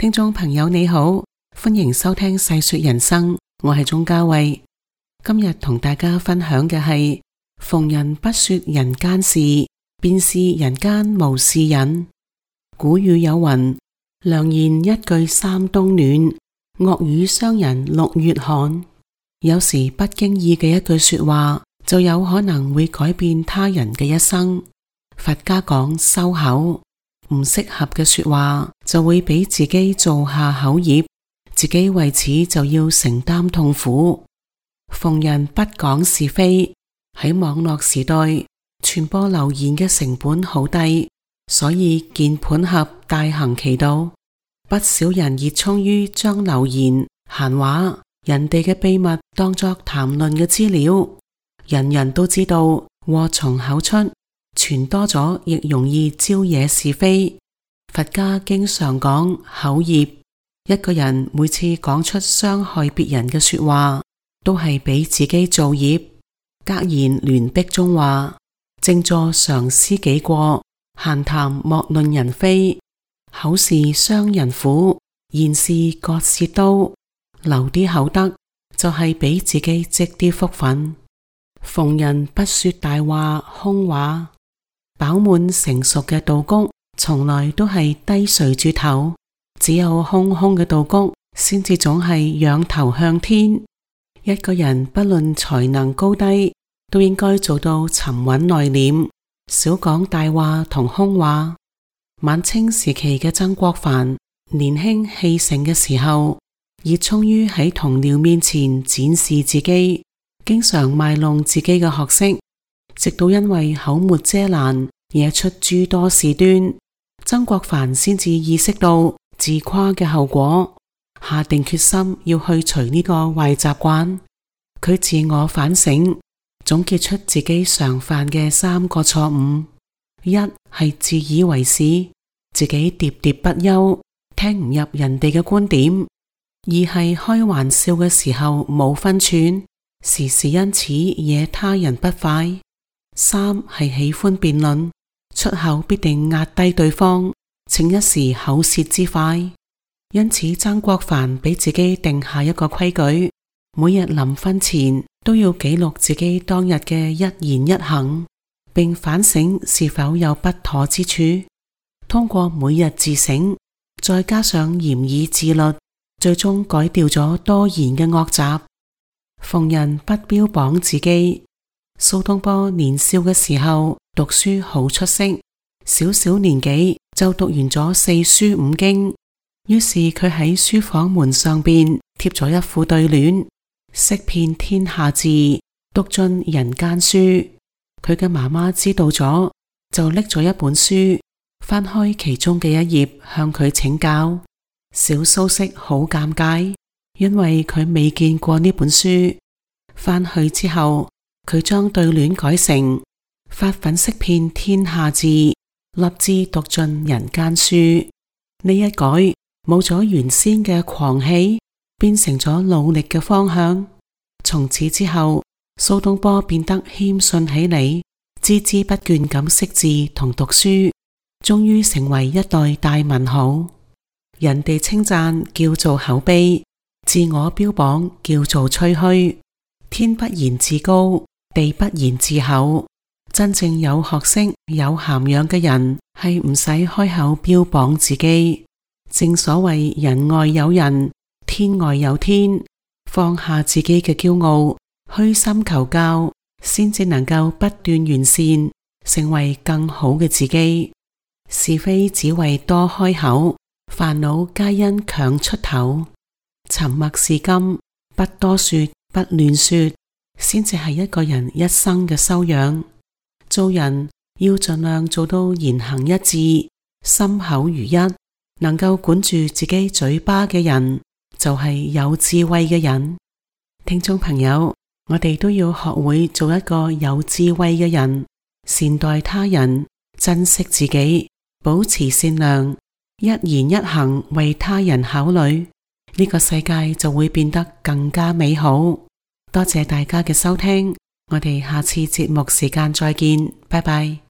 聽眾朋友你好，歡迎收聽細說人生，我係鍾嘉慧。今日同大家分享嘅係逢人不說人間事，便是人間無事人。古語有云：良言一句三冬暖，惡語傷人六月寒。有時不經意嘅一句說話，就有可能會改變他人嘅一生。佛家講收口，唔適合嘅說話就會俾自己造下口業，自己為此就要承擔痛苦。逢人不講是非，喺網絡時代，傳播流言嘅成本好低，所以鍵盤俠大行其道。不少人熱衷於將流言、閒話、人哋嘅秘密當作談論嘅資料。人人都知道禍從口出，傳多咗亦容易招惹是非。佛家經常講口業，一個人每次講出傷害別人嘅說話，都係俾自己造業。格言聯璧中話：靜坐常思己過，閒談莫論人非。口是傷人苦，言是割舌刀。留啲口德，就係俾自己積啲福分。逢人不說大話空話，飽滿成熟嘅稻穀從來都係低垂住頭，只有空空嘅稻穀先至總係仰頭向天。一個人不論才能高低，都應該做到沉穩內斂，少講大話同空話。晚清時期嘅曾國藩年輕氣盛嘅時候，熱衷於喺同僚面前展示自己，經常賣弄自己嘅學識，直到因為口沒遮攔，惹出諸多事端，曾國藩先至意識到自誇嘅後果，下定決心要去除呢個壞習慣。佢自我反省，總結出自己常犯嘅3個錯誤。一係自以為是，自己喋喋不休，聽唔入人哋嘅觀點；二係開玩笑嘅時候冇分寸，時時因此惹他人不快；三係喜歡辯論，出口必定壓低對方，逞一時口舌之快。因此曾國藩俾自己定下一個規矩，每日臨瞓前都要記錄自己當日嘅一言一行，並反省是否有不妥之處。通過每日自省，再加上嚴以自律，最終改掉咗多言嘅惡習。逢人不標榜自己。蘇東坡年少嘅時候讀書好出色，小小年紀就讀完咗4書5經。於是佢喺書房門上邊貼咗一副對聯：識遍天下事，讀盡人間書。佢嘅媽媽知道咗，就拎咗一本書，翻開其中嘅一頁向佢請教。小蘇軾好尷尬，因為佢未見過呢本書。翻去之後，佢將對聯改成發奮識遍天下事，立志讀盡人間書。呢一改，冇咗原先嘅狂氣，變成咗努力嘅方向。從此之後，蘇東坡變得謙遜起嚟，孜孜不倦咁識字同讀書，終於成為一代大文豪。人哋稱讚叫做口碑，自我標榜叫做吹噓。天不言自高，地不言自厚。真正有學識、有涵養嘅人，係唔使開口標榜自己。正所謂人外有人，天外有天。放下自己嘅驕傲，虛心求教，先至能夠不斷完善，成為更好嘅自己。是非只為多開口，煩惱皆因強出頭。沉默是金，不多說，不亂說，先至係一個人一生嘅修養。做人要盡量做到言行一致，心口如一。能夠管住自己嘴巴嘅人，就係有智慧嘅人。聽眾朋友，我哋都要學會做一個有智慧嘅人，善待他人，珍惜自己，保持善良，一言一行為他人考慮，呢個世界就會變得更加美好。多謝大家嘅收聽，我哋下次節目時間再見，拜拜。